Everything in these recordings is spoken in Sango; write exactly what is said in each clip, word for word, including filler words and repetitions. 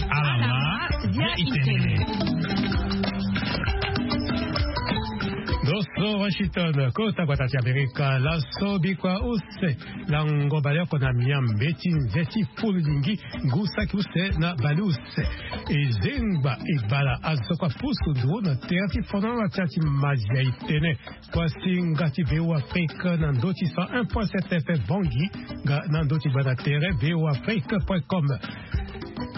Alama dia itene. Doso Washington, kota gbata ti Amerika, laso bikua use na ngo baleoko na miambe ti nze ti fulu lingi ngu saki use na baleuse. Ezengba ebala azo kua pusu nduru na tere ti fondro na tia ti mazia itene. Kuasinga ti V O Afrique na ndö ti cent un point sept F M Bangui, nga na ndö ti gbanda tere V O Afrique point com.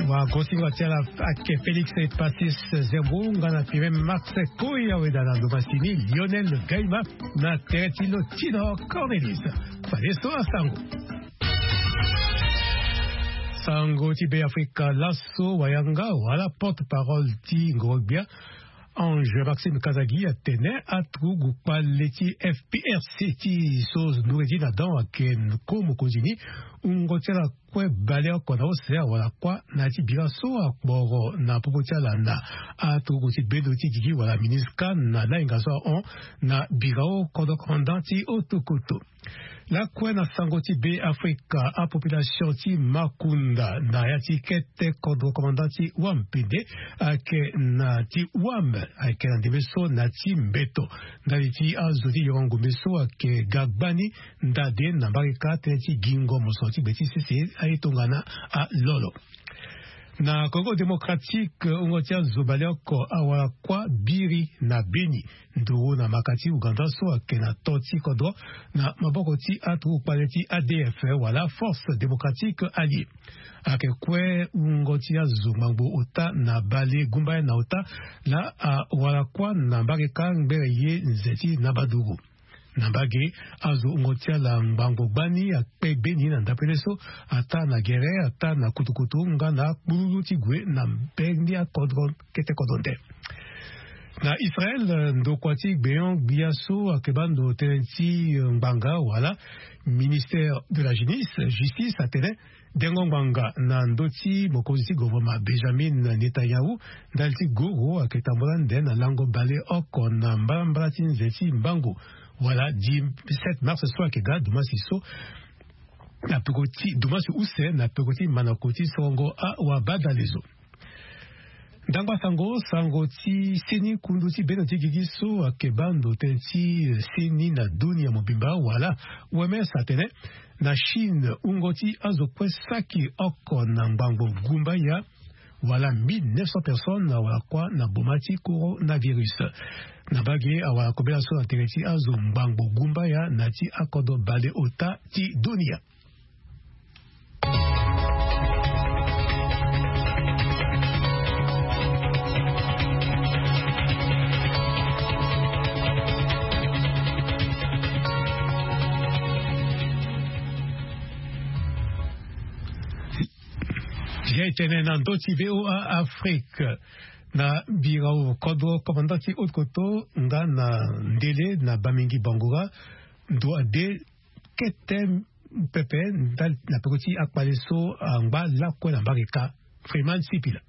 Wagosinga ti ala ake Félix Epasis Zembo nga na Pierre Max Koya, weda na ndo masini Lionel Gaima na tere ti lo Tino Cornelis. Fadeso asango. Sango ti Be Afrika laso wayanga wala porte-parole ti ngoro-gbia Ange Maxime Kazadi atene aturugu kpale ti F P R C ti so nduri ti na dan ayeke ko mokonzi ni, wungo ti ala kue baleoko na use awara kuâ na ya ti bira so akporo na popo ti ala na aturugu ti bendo ti gigi wala MINUSCA na lahinga so ahon na birao kodro commandant ti otokoto. Lakue na sango ti Be Afrika, apopulation ti Makunda na ya ti kete kodro commandant ti Wampende ayeke na ti Wam ayeke na ndembe so na ti mbeto ndali ti azo ti yongo ngombe so ayeke ga gbani ndade na mbarika tënë ti gingo moso ti gbe ti sese aye tongana alolo. Na Congo Démocratique, wungo ti azo baleoko awara kuâ biri na Beni nduru na maka ti Ouganda so ayeke na to ti kodro na maboko ti aturugu kpale ti A D F wala Force Démocratique Alliée. Ayeke kue wungo ti azo ngbangbo ota na bale gumbaya na ota laa awara kuâ na mbarika ngbere ye nze ti nabaduru. Na mbage, azo wungo ti ala ngbangbo gbani akpe beni na ndapele so, ataa na gere, ataa na kutukutu nga na kpululu ti gue na mbeni akodro kete kodro nde. Na Israël, ndokua ti gbenyo-gbia so ayeke baa ndo tënë ti ngbanga wala ministère de la justice, justice atene dengo ngbanga na ndö ti mokonzi ti gouvernement Benjamin Netanyahu ndali ti goro ayeke tambula ande na lango baleoko na mbalambala ti nze ti mbangu wala dix-sept mars so ayeke ga dumasi so na peko ti dumasi use na peko ti manako ti sorongo awabadalezo. Ndangba sango, sango ti seni kundu ti bendo ti gigi so ayeke baa ndo tënë ti seni na dunia mobimba wala O M S atene na Chine wungo ti azo kue saki oko na ngbangbo gumbaya wala mille neuf cents personnes awara kuâ na boma ti coronavirus. Na mbage awara kobela so na tere ti azo ngbangbo gumbaya na ya ti akodro baleota ti dunia. Zia etene na ndö ti V O A Afrique, na birao kodro commandant ti haute koto nga na ndele na Bamingui Bangoura, ndo ade kete pepe ndali na peko ti akpale so angba lakue na mbarika. Freeman Sipila.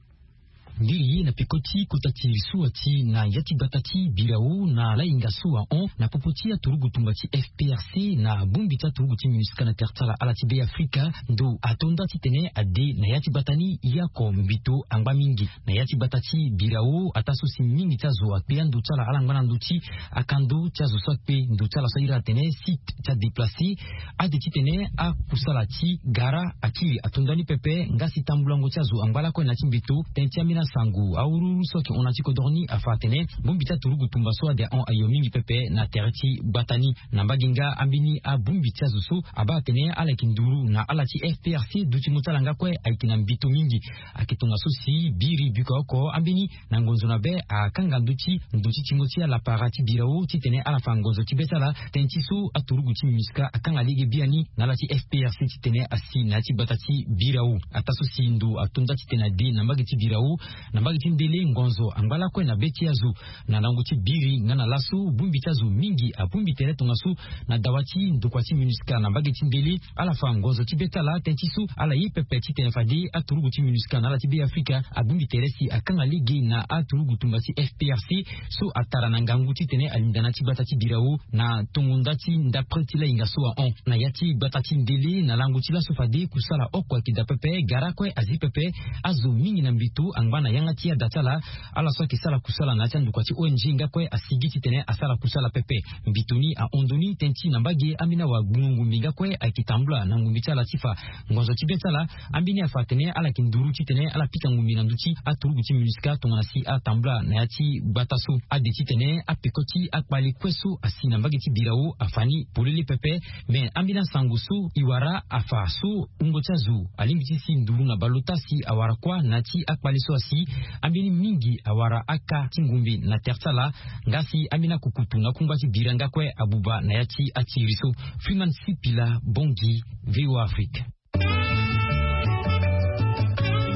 Ndiri ye na peko ti kota ti suwa ti na ya ti gbata ti birao na lahinga so ahon na popo ti aturugu tumba ti F P R C na bongbi ti aturugu ti MINUSCA na tere ti ala ala ti Be Afrika, ndo atonda titene ade na ya ti gbata ni ye oko mbito angba mingi. Na ya ti gbata ti birao, ataa so si mingi ti azo akpe ando ti ala ala ngba na ndö ti akando ti azo so akpe ndo ti ala so ahiri atene site ti adéplacé. Ade titene akusala ti gara akiri atonda ni pepe nga si tambulango ti azo angba lakue na ya ti mbeto. Tënë ti ambeni asango awuruwuru so ayeke hon na ya ti kodoro ni afa atene bongbi ti aturugu tumba so ade ahon ayo mingi pepe na tere ti gbata ni. Na mbage nga ambeni abongbi ti azo so abaa atene ala yeke nduru na ala ti F P R C, dutingo ti ala nga kue ayeke na mbito mingi. Ayeke tongaso si biri biko oko ambeni na ngonzo na be akanga ndö ti ndo ti tingo ti alapara ti birao titene ala fa ngonzo ti be ti ala. Tënë ti so aturugu ti MINUSCA akanga lege biani na ala ti F P R C titene asi na ya ti gbata ti birao. Ataa so si ndo atonda titene ade na mbage ti birao Na mbage ti ndele ngonzo angba lakue na be ti azo na lango ti biri nga na laso bongbi ti azo mingi abongbi tere tongaso. Na dawa ti ndokua ti minusca na mbage ti ndele ala fa ngonzo ti be ti ala tënë ti so ala ye pepe titene fade aturugu ti minusca na ala ti be afrika abongbi tere si akanga lege na aturugu tumba ti fprc so atara na ngangu titene alinda na ti gbata ti birao na tongo nda ti ndapre ti lainga so ahon na ya ti gbata ti ndele na lango ti laso fade kusala oko ayeke daa pepe gara kue azi pepe. Azo mingi na mbito angba na yanga ti ada ti ala ala so ayeke sara kusala na ya ti andokua ti ong nga kue asigi titene asara kusala pepe. Mbito ni ahon ndo ni tënë ti na mbage ambeni awa gbungo ngumbi nga kue ayeke tambula na ngumbi ti ala ti fa ngonzo ti be ti ala. Ambeni afa atene ala yeke nduru titene ala pika ngumbi na ndö ti aturugu ti minusca tongana si atambula na ya ti gbata so ade titene apeko ti akpale kue so asi na mbage ti birao afa ni polele pepe. Me ambeni asango so e wara afa so wungo ti azo alingbi ti si nduru na baleota si awara kuâ na ya ti akpale so asi. Ambeni mingi awara aka ti ngumbi na tere ti ala nga si ambeni akukutu na kungba ti bira nga kue abuba na ya ti atiri so. Freeman sipila bongi voa afrique.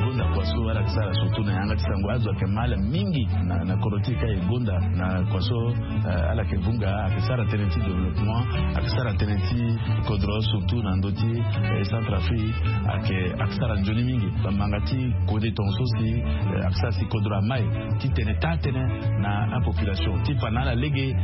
Gonda kua so ala yeke sara surtout na yanga ti sango azo ayeke ma ala mingi na kodro ti e ka e gonda na kua so ala yeke vunga ayeke sara tënë ti développement ayeke sara tënë ti kodro surtout na ndö ti centre afrique. Ayeke ayeke sara nzoni mingi bamanga ti kode tonga so si ayeke sara si kodro amai titene taa tënë na apopulation ti fa na ala lege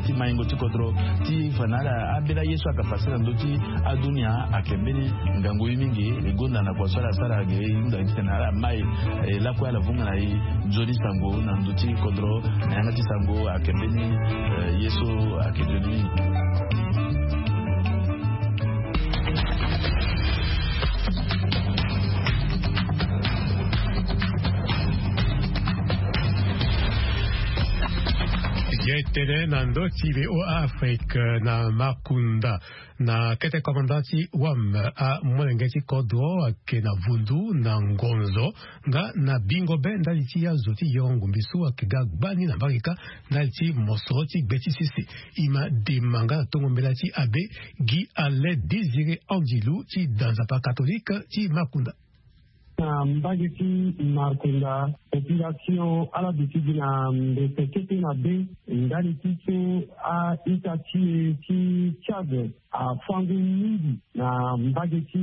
ti maingo ti kodro ti fa na ala ambeni aye so ayeke fasi na ndö ti adunia ayeke mbeni ngangu ye mingi. E gonda na kua so ala sara ge e hunda titene ala mai e lakue ala vunga na e nzoni sango na ndö ti kodro na yanga ti sango ayeke mbeni ye so ayeke nzoni mingi. Ye tene na ndö ti voa afrique na makunda na kete komanda ti wam amolenge ti kodro ayeke na vundu na ngonzo nga na bingo be ndali ti azo ti yongo ngumbi so ayeke ga gbani na mbage kâ ndali ti mosoro ti gbe ti sese. E ma dema nga na tongo mbela ti abe gi ale désiré andilu ti da nzapa katholike ti makunda. Na mbage ti markunda population ala duti gi na mbete kete na be ndali ti so a-ita ti e ti tchad afangu mingi na mbage ti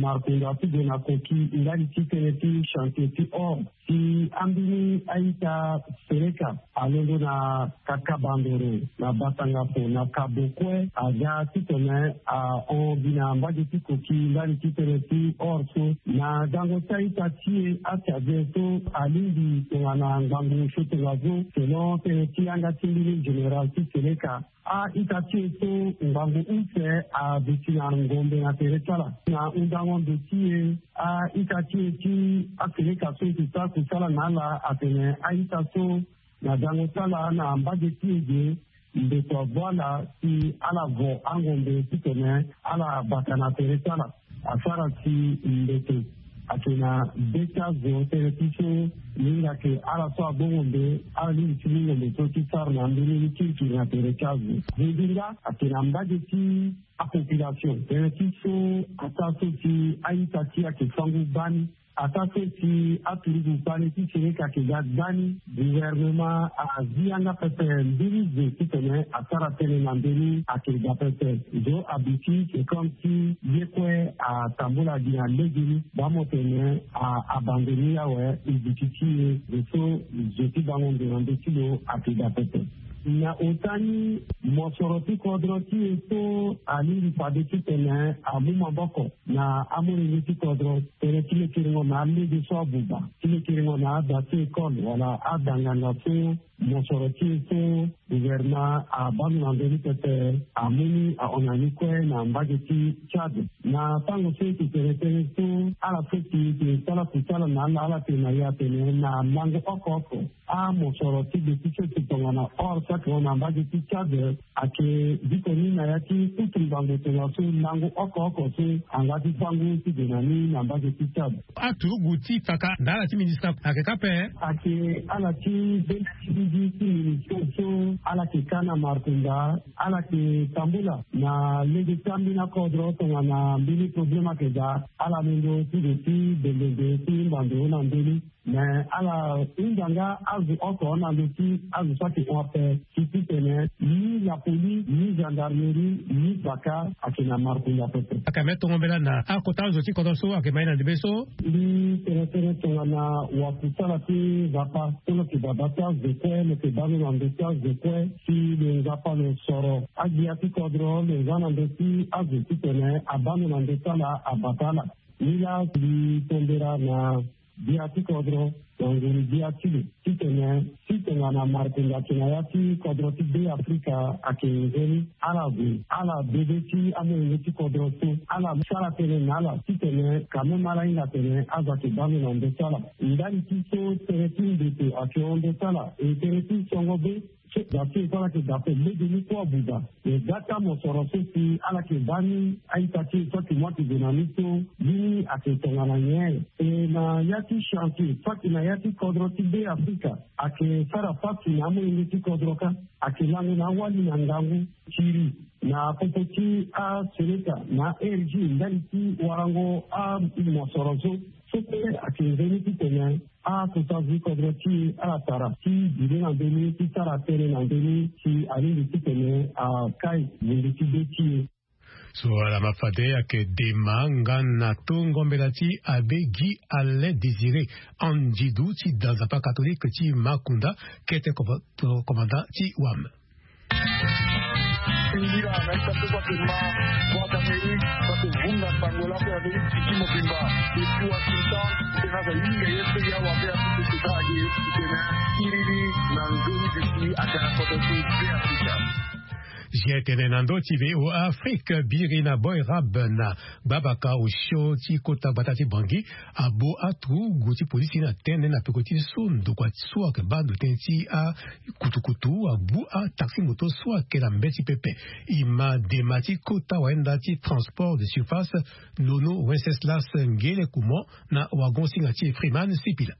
markunda ti gue na koki ndali ti tënë ti chantier ti or si ambeni a-ita sereka alondo na kakabandoro na batangapo na kabo kue aga titene ahon gi na mbage ti koki ndali ti tënë ti or so na gango ti a-ita ti e atchadien so alingbi tongana ngangu so tongaso selon tënë ti yanga ti mbeni général ti seleka. A-ita ti e so ngangu use aduti na ngombe na tere ti ala na hundango ndo ti e. A-ita ti e ti aseleka so e ke sara kusala na ala atene a-ita so na dango ti ala na mbage ti e ge mbeto avo ala si ala vo angombe titene ala bata na tere ti ala. Asara si mbeto ayeke na be ti azo tënë ti so mingi ayeke ala so abongombe ala lingbi ti lingombe so ti sara na mbeni ni kirikiri na tere ti azo. Zendinga ayeke na mbage ti apopulation tënë ti so ata so si a-ita ti e ayeke fangu bani. Ata so si aturugu kpale ti sereka ayeke ga gbani. Gouvernement azi yanga pepe mbeni zo titene asara tënë na mbeni ayeke ga pepe. Zo aduti c'est comme si ye kue atambula gi na legeni bamo tene abandoni awe. Iduti ti e zo so zo ti bango ndo na ndö ti lo ayeke ga pepe. Na ota ni mosoro ti kodro ti e so alingbi fade titene amu maboko na amolenge ti kodro tene ti lekerengo na alege so abuba ti lekerengo na ada ti école wala ada nganga so mosoro ti e so gouvernement abaa ndo na ndö ni pepe. Amu ni ahon na ni kue na mbage ti tchad na tango so e ke tene tënë so ala so si e ke sala kusala na ala ala tene na e atene na lango oko oko amosoro ti gbe ti so e ke tongana or so ayeke hon na mbage ti tchad. Ayeke biko ni na ya ti kutu ngbangbo tongaso lango oko oko so angba ti fango ti gue na ni na mbage ti tchad. Aturugu ti kaka na ala ti ministre ayeke kâ ape. Ayeke ala ti benda ti bigi ti ministre so ala yeke kâ na markunda ala yeke tambula na lege ti ambeni akodro tongana mbeni probleme ayeke daa ala londo ti gue ti bendende ti mbando na mbeni. Mais ala hunda nga azo oko na ndö ti azo so ayeke hon ape, si titene ni la police, ni gendarmerie, ni baka ayeke na markunda pepe. Ayeke ame tongo mbela na akota azo ti kodro so ayeke ma ye na ndembe so. Mbi tene tënë tongana wakusala ti Nzapa so lo yeke baba ti azo kue, lo yeke baa lo na ndö ti azo kue, si lo Nzapa lo soro agbia ti kodro lo za na ndö ti azo titene abaa lo na ndö ti ala, abata ala. Nilaa mbi tombera na gbia ti kodro na nguru-gbia ti lo titene si tongana markunda ayeke na ya ti kodro ti Be Afrika ayeke nzoni, ala gue ala bebe ti amolenge ti kodro so, ala sara tënë na ala titene quand même ala hinga atene azo ayeke baa lo na ndö ti ala. Ndali ti so tënë ti ndoto ayeke hon ndö ti ala, e tënë ti songo be so, da ti e so ala yeke da ape lege ni kue abuba. E ga ti amosoro so si ala yeke baa ni a-ita ti e so ayeke mu ayeke gue na ni so, mbeni ayeke tongana nyen? E na ya ti chantier so ayeke na ya ti kodro ti Be Afrika ayeke sara pasi na amolenge ti kodro kâ. Ayeke lango na awali na ngangu, tiri na popo ti asoleka na a-R G ndali ti warango amosoro so. So kue ayeke nzoni titene akota azo ti kodro ti e ala tara ti duti na ndö ni ti sara tënë na ndö ni si alingbi titene akai gundu ti be ti e. So ala ma fade ayeke dema nga na tongo mbela ti abe Guy Alain Désiré Andidu ti da Nzapa catholique ti Makunda, kete commandant ti wam. Singila na ita so so ayeke ma Voix d'Amérique, so ayeke vunga sango laa mpe Amérique du Sud mobimba. Depuis Washington, tena aza hinga ye mpe ya wa mpe aso so tena age tena iri ni na nzoni duti ake na kodro ti Be Afrika. G T N na ndö ti V O A Afrique, biri na Boy Rab na gbabaka osio ti kota gbata ti Bangui, abo aturugu ti polisi na tënë na peko ti so ndokua so ayeke baa ndo tënë ti akutukutu abu ataxi moto so ayeke na mbeti pepe. E ma dema ti kota wayenda ti transport de surface, Nono Wenceslas Ngele Kumo na wagon-singa ti e Freeman Sipila.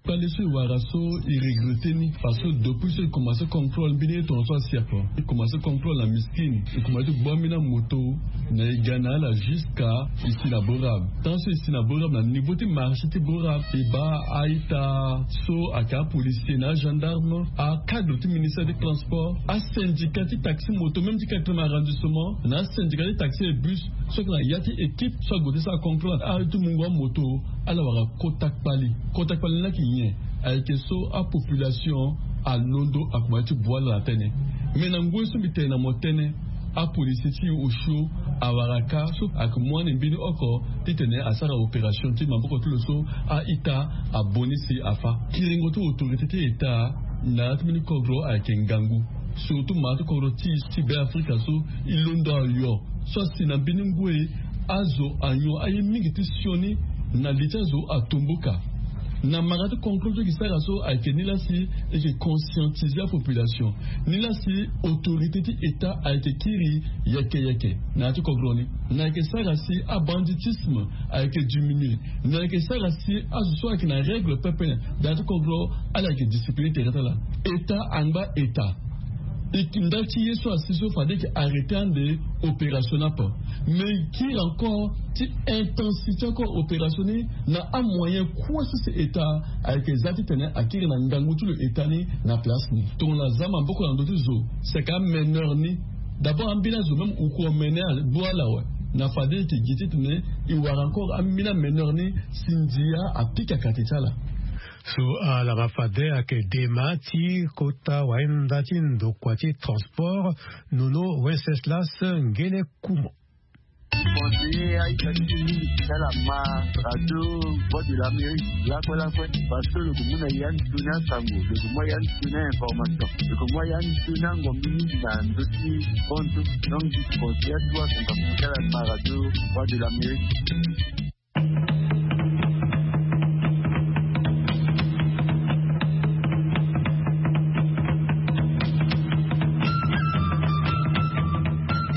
Kpale so e wara so e regrette ni parce que depuis so e commencé contrôle mbeni ye tongaso asi ape. E commencé contrôle na Miskine, e commencé ti gbu ambeni amoto na e ga na ala jusqu'à e si na Borab. Tant so e si na Borab, na niveau ti marché ti Borab, e baa a-ita so ayeke apolicier na agendarme, acadre ti ministère ti transport, asyndicat ti taxi moto, même ti quatrième arrondissement, na asyndicat ti taxi et bus, so ayeke na ya ti équipe so ague ti sara contrôle na aye ti mungo amoto, ala wara kota kpali. Kota kpali ni ayeke nyen? Ayeke so apopulation alondo akomanse ti bu ala na tënë. Me na ngoi so mbi tene na mo tënë, apolisier ti e osio awara kâ so ayeke mu ande mbeni oko titene asara opération ti maboko ti lo so a-ita abongbi si afâ. Kiringo ti autorité ti État na ya ti mbeni kodro ayeke ngangu. Surtout ma ti kodro ti e ti Be Afrika so e londo ayo so asi na mbeni ngoi azo anyon aye mingi ti sioni na li ti azo atomboka. Na mara ti contrôle so e yeke sara so ayeke nilaa si e yeke conscientiser apopulation, nilaa si autorité ti État ayeke kiri yeke yeke na ya ti kodro ni. Na yeke sara si abanditisme ayeke diminuer. Na yeke sara si azo so ayeke na règle pepe na ya ti kodro ala yeke discipliner tere ti ala. État angba État. E yeke ndali ti ye so asi so fade e yeke arrêter ande opération ni ape. Mais e kiri encore ti intensifier encore opération ni na amoyen kue so si État ayeke za titene akiri na ngangu ti lo État ni na place ni. Tongana aza maboko na ndö ti zo, si ayeke ameneur ni, d'abord ambeni azo même e ko mené abu ala awe. Na fade e yeke gi titene e wara encore ambeni ameneur ni si ndia apika kati ti ala. So ala ma fade ayeke dema ti kota wayenda ti ndokua ti transport, Nono Wenceslas Ngele Kumo. Conseiller a-ita ti e mingi ti ala ma radio Voix de l'Amérique lakue lakue, parce que lo yeke mu na ya ndo ni asango, lo yeke mu ya ndo ni a-information, lo yeke mu ya ndo ni angombi mingi na ndö ti compte. Donc je conseille à toi, tonga ti ala ma radio Voix de l'Amérique.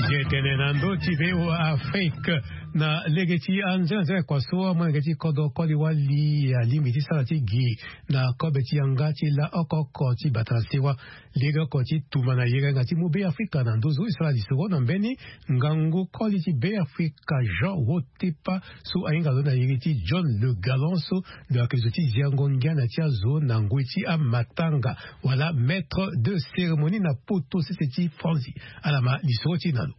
G Tene na ndö ti V O A Afrique. Na lege ti anzenga nzenga kua so amolenge ti kodro koli wali alingbi ti sara ti gi na kobe ti yanga ti la oko oko ti bata na sewa. Lege oko ti tuma na yere nga ti mu Be Afrika na nduzu e sara lisoro na mbeni ngangu koli ti Be Afrika Jean Wotepa so ahinga lo na yere ti John Le Galant so lo yeke zo ti ziango ngia na ti azo na ngoi ti amatanga wala maître de cérémonie na poto sese ti Franzi. Ala ma lisoro ti e na lo.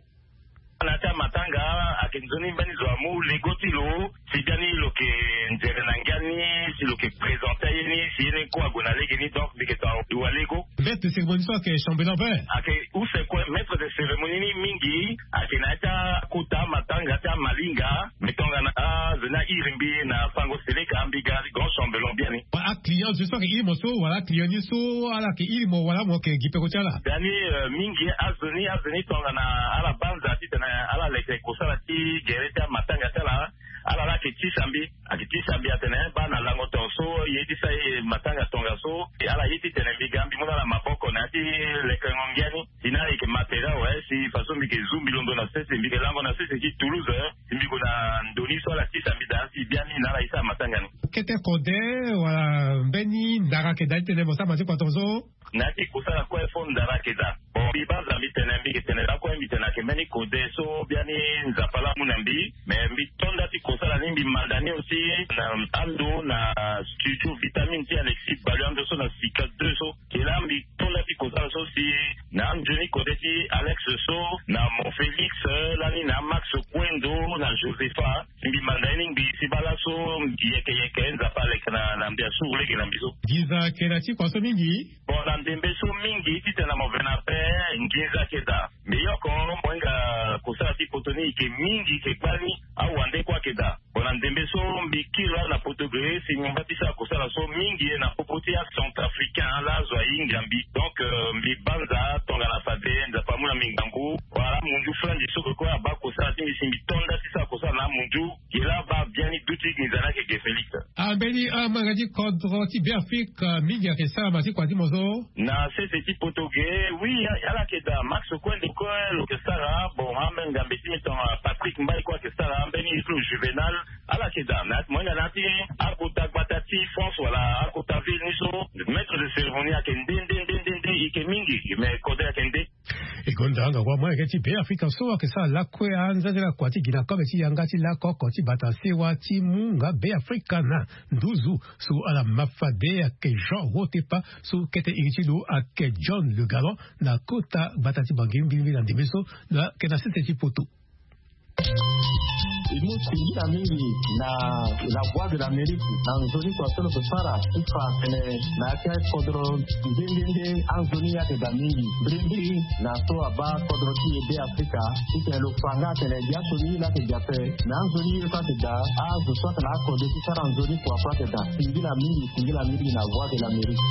Na ya ti amatanga ayeke nzoni mbeni zo amu lego ti lo si biani lo yeke nzere na ngia ni, si lo yeke présente aye ni si ye ni kue ague na lege ni. Donc mbi yeke tonga lo wa lego. Maître de cérémonie so ayeke chambellan vert. Ayeke use kue maître de cérémonie ni mingi ayeke na ya ti akota amatanga ti amalinga. Mbi tongana azo ni ahiri mbi na fango seleka mbi ga grand chambellan biani. Aclient zo so ayeke iri mo so wala aclient ni so ala yeke iri mo wala mo yeke gi peko ti ala? Dani mingi azo ni azo ni tongana ala banza titene ala leke kosala ti gere ti amatanga ti ala. Ala la ayeke tisa mbi ayeke tisa mbi atene baa na lango tonga so ye ti sa ye matanga tonga so. Ala ye titene mbi ga mbi mu na ala maboko na ya ti lekengo ngia ni. Si na ala yeke matériel awe si faso mbi yeke zu mbi londo na sese mbi yeke lango na sese ti Toulouse. Si mbi gue na ndo ni so ala tisa mbi daa si biani na ala ye sara matanga ni. Kete kode wala mbeni ndara ayeke daa titene mo sara matanga ti kua tongaso? Na ya ti kosala kue fo ndara ayeke daa. Bon mbi banza mbi tene mbi yeke tene lakue mbi tene ayeke mbeni kode so biani Nzapa laa amu na mbi. Mais mbi to nda ti kosala ni mbi manda ni aussi na ando na studio vitamine ti Alexis Balu ando so na sika deux so. Ke laa mbi to nda ti kosala so si na anzoni kode ti Alex so na Mon Félix lani na Max Kuendo na Josepha. Mbi manda ye ni ngbii si baa laso yeke yeke Nzapa aleke na mbi asuru lege na mbi so. Nginza ayeke na ti kua so mingi. Bon na ndembe so mingi titene na mo ve na ape nginza ayeke daa. Mbi yoko mo hinga kosala ti poto ni eke mingi eke gbani. Awande kue ayeke daa. Bon na ndembe so mbi kiri laa na poto ge si mo mba ti sara kosala so mingi ye na popo ti acentrafricain laa azo ahinga mbi. Donc mbi banza tongana fade Nzapa amu na mbi ngangu. Wala amundu flanzi so kue abaa kosala ti mbi si mbi to nda ti sara kosala na amundu. Gi laa baa biani duti nginza ni ayeke ge Félix. Ambeni amolenge ti kodro ti Be Afrika mingi ayeke sara ma ti kua ti mo so? Na sese ti poto ge. Oui ala yeke daa Max Kuendo kue lo yeke sara. Bon amolenge ngambe ti mbi tongana Patrick Mbaye kue ayeke sara ambeni ye ti lo Juvénal. Ala yeke daa na ya ti mo hinga na ya ti akota gbata ti France wala akota ville ni so. Maître de cérémonie ayeke nde nde nde nde nde e yeke mingi. Mais kode ayeke nde. E gonda ngangu amolenge ti Be Afrika so ayeke sara lakue anzanzala kua ti gi na kobe ti yanga ti lakoko ti bata sewa ti mu nga Be Afrika na nduzu. So ala ma fade ayeke Jean Wotepa so kete iri ti lo ayeke John Le Galant na kota gbata ti Bangui mbilimbili na ndembe so. Lo ayeke na sese ti poto. E mu singila mingi na la Voix de l'Amérique na nzoni kua so lo yeke sara ti fa atene na ya ti akodro nde nde nde anzoni ye ayeke daa mingi. Mbirimbiri na so abaa kodro ti e Be Afrika titene lo fa nga atene biaso ni ye laa ayeke daa ape. Me anzoni ye so ayeke daa azo so ayeke na akode ti sara nzoni kua so ayeke daa. Singila mingi singila mingi na Voix de l'Amérique.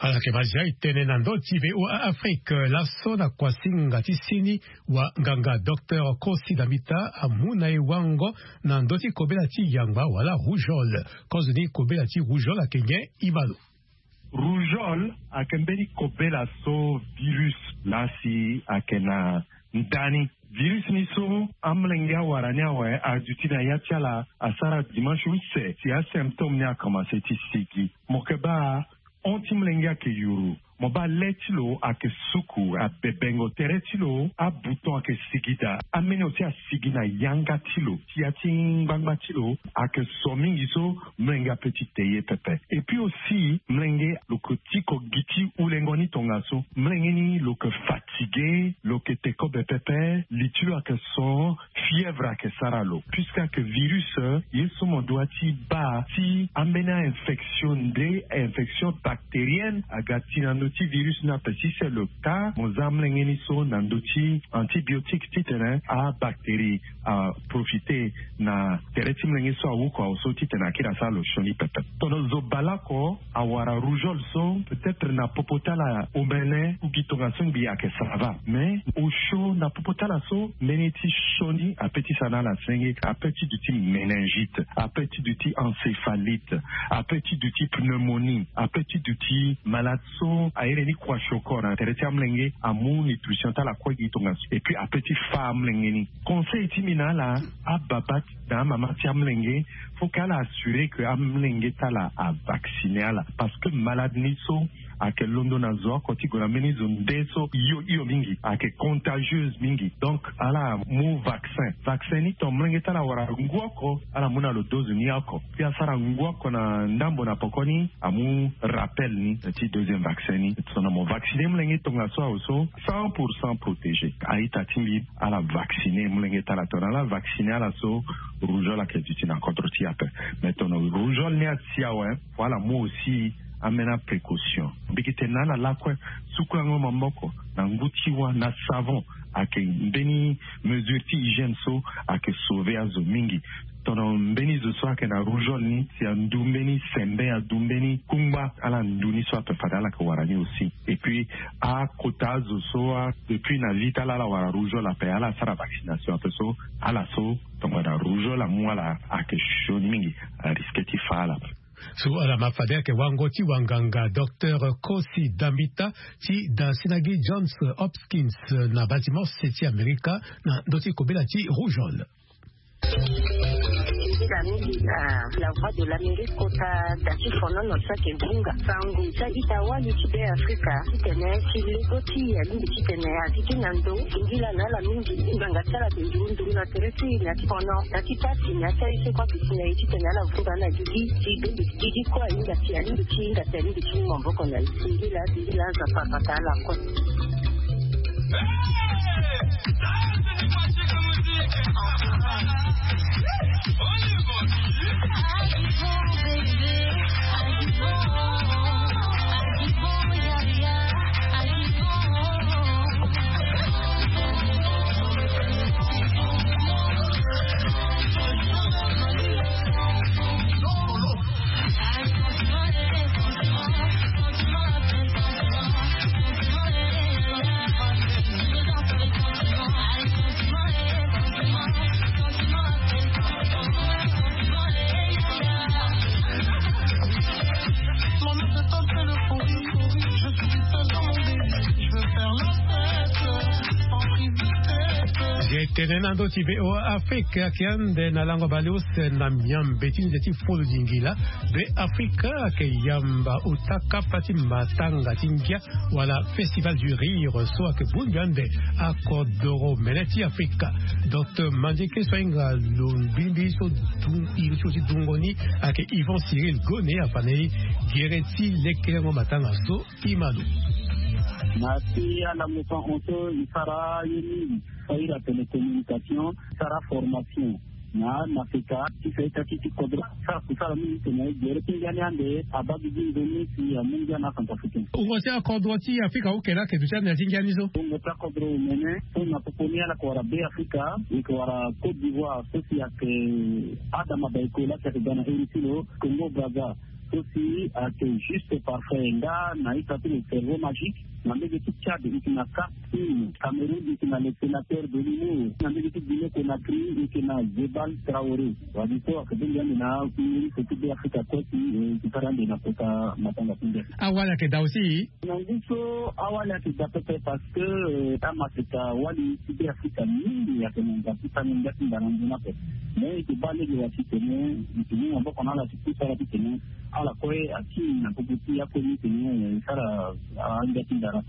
Ala yeke mazia e tene na ndö ti V O A Afrique laso na kuasinga ti sini wa nganga docteur Kosi Dambita amu na e wango na ndö ti kobela ti yangba wala rougeole. Kozoni kobela ti rougeole ayeke nyen? E ma lo. Rougeole ayeke mbeni kobela so virus laa si ayeke na nda ni. Virus ni so amolenge awara ni awe aduti na ya ti ala asara dimanche use si asymptôme ni akomanse ti sigi. Mo yeke baa hon ti molenge ayeke yuru. Mo baa le ti lo ayeke suku abebengo. Tere ti lo abouton ayeke sigi daa. Ameni aussi asigi na yanga ti lo. Ti ya ti ngbangba ti lo ayeke so mingi so molenge ape ti te ye pepe. Et puis aussi molenge lo yeke tiko gi ti ulengo ni tongaso. Molenge ni lo yeke fatigué, lo yeke te kobe pepe. Li ti lo ayeke so. Fièvre ayeke sara lo puisque ayeke virus. Ye so mo doit ti baa ti ambeni a-infection nde a-infection bactérienne aga ti na ndö ti virus ni ape si c'est le cas mo za amolenge ni so na ndö ti antibiotique titene abactérie aprofite na tere ti molenge so awuku awe so titene akiri asara lo sioni pepe. Tono zo baleoko awara rougeole so peut-être na popo ti ala omene ou gi tongaso ngbii ayeke sava mais osio na popo ti ala so mbeni ti sioni ape ti sa na ala senge ape ti duti méningite ape ti duti encéphalite ape ti duti pneumonie ape ti duti malade so ahere ni kua sioko na tere ti amolenge amu nutrition ti ala kue gi tongaso et puis ape ti fa amolenge ni. Conseil ti mbi na ala ababa na amama ti amolenge faut que ala assurer que amolenge ti ala avacciner ala parce que malade ni so ayeke londo na zo oko ti gue na mbeni zo nde so hio hio mingi ayeke contagieuse mingi donc ala mu vaccin. Vaccin ni ton molenge ti ala wara ngu oko ala mu na lo dose ni oko si asara ngu oko na ndambo na poko ni amu rappel ni ti deuxième vaccin ni. Tona mo vacciner molenge tongaso awe so cent pour cent protégé. A-ita ti mbi ala vacciner molenge ti ala tona ala vacciner ala so rougeole ayeke duti na kodro ti e ape. Mais tona rougeole ni asi awe fo ala mu aussi amena précaution. Mbi yeke tene na ala lakue sukulango maboko na ngu ti wa na savon ayeke mbeni mesure ti hygiène so ayeke sauver azo mingi. Tona mbeni zo so ayeke na rougeole ni si andu mbeni sembe andu mbeni kungba ala ndu ni so ape fade ala yeke wara ni aussi. Et puis akota azo so depuis na vie ti ala ala wara rougeole ape ala sara vaccination ape so ala so tongana rougeole amu ala ayeke sioni mingi arisque ti fa ala. So ala ma fade ayeke wango ti wanganga docteur Kosi Dambita ti da si na gi Johns Hopkins na Baltimore se ti Amerika na ndö ti kobela ti rougeole. Mingi na la voix de l'Amérique kota da ti fonono so ayeke vunga sango ti a-ita wali ti be afrika titene ti lego ti e alingbi titene azi gi na ndo. Singila na ala mingi ngbanga ti ala ayeke nduru nduru na tere ti e na ti fono na ti pasi na ti aye so kue ayeke si na e titene ala vunga ala gigi ti gigi kue ahinga si alingbi ti hinga si alingbi ti mu maboko na e. Singila singila aza papata ala kue. Ye tene na ndö ti voa afrika ayeke ande na lango baleuse na miambe ti nze ti fulu lingila. Be afrika ayeke yamba ota kapa ti matanga ti ngia wala festival du rire so ayeke bongbi ande akodoro mene ti afrika. Docteur mandieke so ahinga lo mbimbi so iri ti lo ti dungo ni ayeke yvan cyril gone afa na e gere ti lekerengo matanga so. Imalo. Na ti alango so ahon so e sara ye mingi. Fa iri atene communication sara formation na na feka ti fa ita ti ti kodro sara kusala mingi tene gere ti ngia ni ande abaa gigi ndo ni si amu ngia na centrafricain. Wungo ti akodro ti afrika oke laa ayeke duti ande na ti ngia ni so. Wungo ti akodro omene so na popo ni ala yeke wara be afrika e yeke wara côte d'ivoire so si ayeke adama baiko laa si ayeke ga na eri ti lo congo braza. So si ayeke juste parfait nga na ita ti le cerveau magique. Na mbege ti tchad e yeke na cap team cameroun e yeke na le sénateur de l'humour na mbege ti guinée conakry e yeke na zebal traoré. Wadi so ayeke bongbi ande na iri so ti be afrika kue si e yeke sara ande na kota matanga ti nde. Awali ayeke daa aussi. Na ngu so awali ayeke daa pepe parce que amaseka wali ti be afrika mingi ayeke na nza ti tango ngia ti nda na nzoni ape. Mais e yeke baa lege wa titene e yeke mu maboko na ala ti kusala titene ala kue akiri na popo ti akue ni tene e sara angia ti ndara.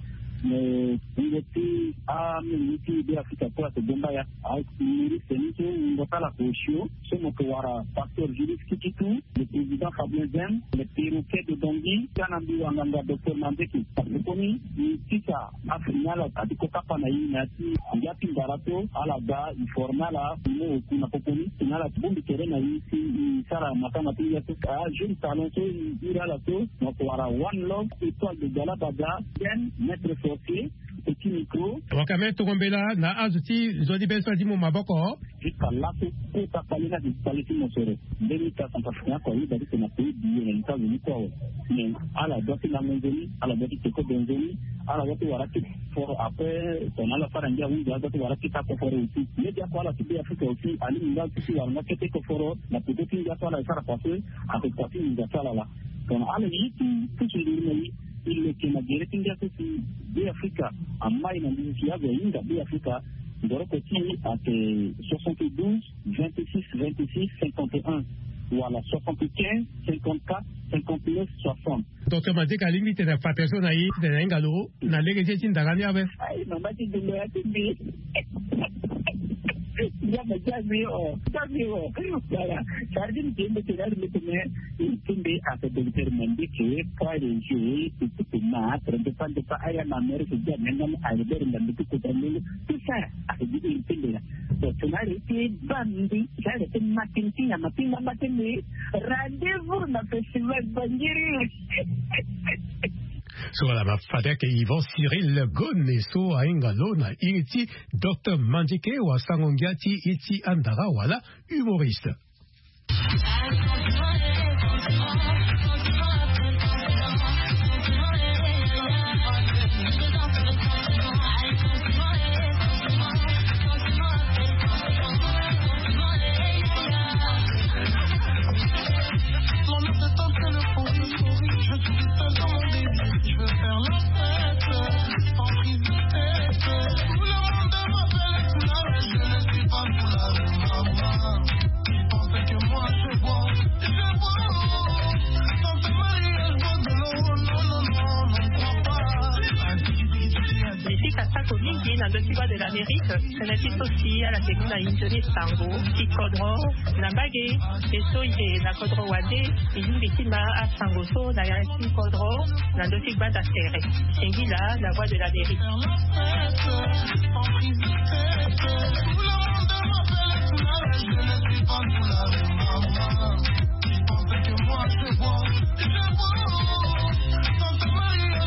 Mais wungo ti amolenge ti Be Afrika kue ake bongba ya. Anuméro seni so wungo ti ala ake osio so mo ke wara pasteur Julius Kikitu, le président Fabien Zem, le perroquet de Bangui, ti ana mbi wanganga docteur Manzeke. Koni e sisa afrika na ala ati ko kapa na e na ya ti ngia ti ndara so ala ga e forme ala e mo oku na kokoni si na ala ti bongbi tere na e si e sara matanga ti ngia so. A jeune talent so e iri ala so mo ke wara One Love, Étoile de Galabada, Zen, Maître Sorcier, Petit Micro. Waka me tongo mbela na azo ti nzoni be so adi mo maboko. Jusqu'à laso kota kpale na ti kpale ti mosoro. Mbeni ka Centrafricain ako ayiba ti tena pays biye na États-Unis kue awe. Mais ala doit ti lango nzoni, ala doit ti teko be nzoni, ala doit ti wara ti foro après tongana ala fara ngia ahunzi ala doit ti wara ti ka koforo aussi. Nde ti ako ala ti Be Afrika aussi alingbi nga ti ti wara nga kete koforo na peko ti ngia so ala e sara passe, ako kua ti nginza ti ala laa. Tongana ala ye ti pusu nduru na e, e leke na gere ti ngia so si Be Afrika amai na nduru si azo ahinga Be Afrika. Ndoroko ti e ake soixante-douze, vingt-six, vingt-six, cinquante et un, wala soixante-quinze, cinquante-quatre, cinquante-neuf, soixante. Docteur Manzeke alingbi titene afa tere so na e titene ahinga lo na lege ti e ti ndara ni ape. Ai, mama ti dungo ya ti mbi. Nzambe ti ambi o, ti ambi o. Voilà. Sara ti mbi ti mbi tene ari mbi tene. Ti mbi ake docteur Manzeke, poids léger, ti ti ma, trente pas de pas, aya na Amérique ti Amérique, Albert Ndambe ti kota ndenge, tout ça, ake di iri ti mbi la. Donc, tena ari ti baa mbi, ti ari ti ma ti mbi ti nyama ti ngamba ti mbi, rendez-vous na festival Bangiri. So wala ma fade ake Yvan Cyril Gone so ahinga lo na iri ti docteur Manzeke wa sango ngia ti e ti andara wala humoriste. Mbi fika sako mingi na ndö ti Voix de l'Amérique. Tënë ti so si ala ke mu na e nzoni sango ti kodro na mbage. E so e yeke na kodro wande, e lingbi ti ma asango so na ya ti kodro na ndö ti gbanda tere. Singila, la Voix de l'Amérique.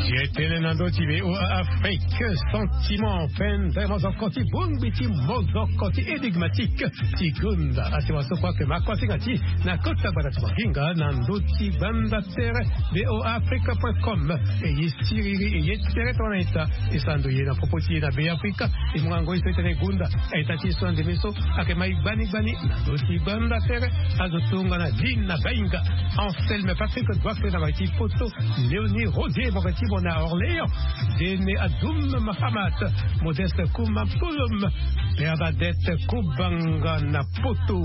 Ye tënë na ndö ti V O A Afrique, sentiment, pendere mozoko ti bongbi ti mozoko ti énigmatique ti gonda. Asi waso kue ake ma kuasinga ti na kota gbanda ti maginga na ndö ti gbanda tere V O A Afrique point com. E ye siriri, e ye tere tongana ita. E sara ndo ye na popo ti ye na Be Afrika. E mu nga ngoi so e tene gonda. Aita ti e so na ndembe so ake ma e gbani gbani na ndö ti gbanda tere. Azo tongana Lina Bainga, Anselme Patrick Doife na mbage ti poto, Léonie Rodier, mo yeke ti mo na Orléans, Dene Adoum Mahamat, Modeste Kouma Polom, Bernadette Kobanga na poto,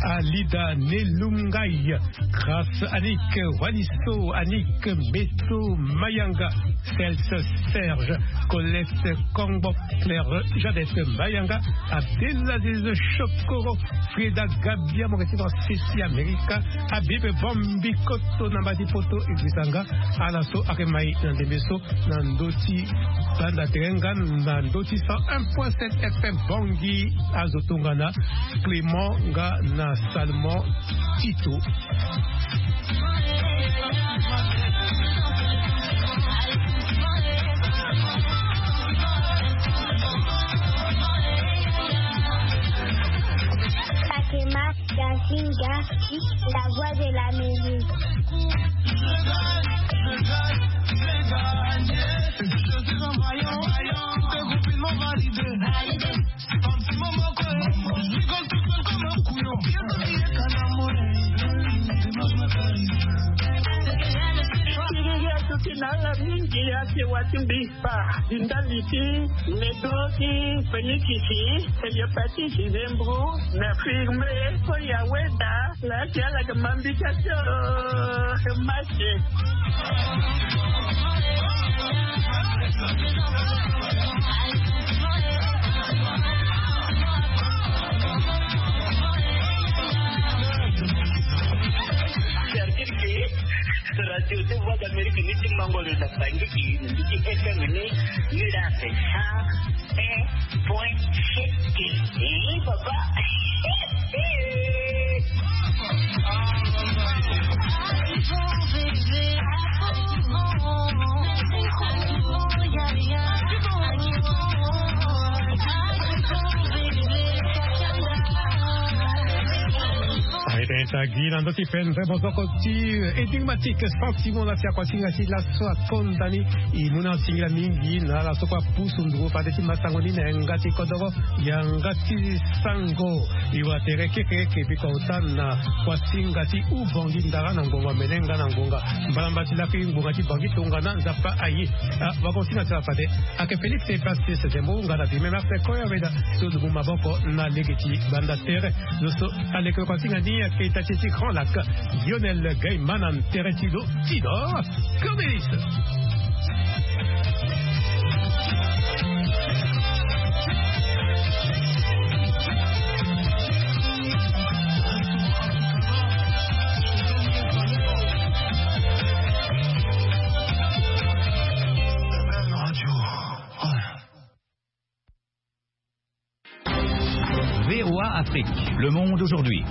Alida Nelungai, Grâce Annick, Waliso Annick, Beto Mayanga, Celse Serge, Colette Kongbo, Claire Jeannette Mayanga, Abdelaziz Chokoro, Frida Gabia, mo yeke ti mo na Sesi Amerika, Habib Bombi Koto na mbage ti poto, e gbisa nga ala so ake ma e na ndembe so na ndö ti gbanda tere nga na ndö ti cent un point sept F M Bangui. Azo tongana Clément nga na Salomon Tito. Fatima Gazinga, la voix de l'Amérique. Nala mingi ya si watumbi pa di ndali ti medo ti penikisi, hepatite, zembo na firme. Ko ya weda la ti ala ke mambika tio. Masi. Cercle ke radio ti Voix d'Amérique ni ti mango lo na fangiki ni ti F M ni. Ni la fe sa. Un point sept. Eh, papa. Aye, tagi na ndö ti penze maboko ti, eh, énigmatique, sentiment na ti akuasinga ti laso akonda ni. E mu na singila mingi na ala so kue apusu nduru fade ti masango ni na yanga ti kodoro, yanga ti sango. E wa tere keke eke biko ota na kuasinga ti ubangi ndara na ngonga mene nga na ngonga mbalamba ti laki ngonga ti bangi tongana Nzapa aye. Ah, wakonsinga ti ala fade. Ake Félix Epasis Zembo nga na Vimé Martin Koya weda so dugu maboko na lege ti banda tere. Zo so aleke kuasinga ni ake ita ti ti Grand Lac, Lionel Gaiman na tere ti lo ti dor. Clovis. V O A Afrique, le monde aujourd'hui.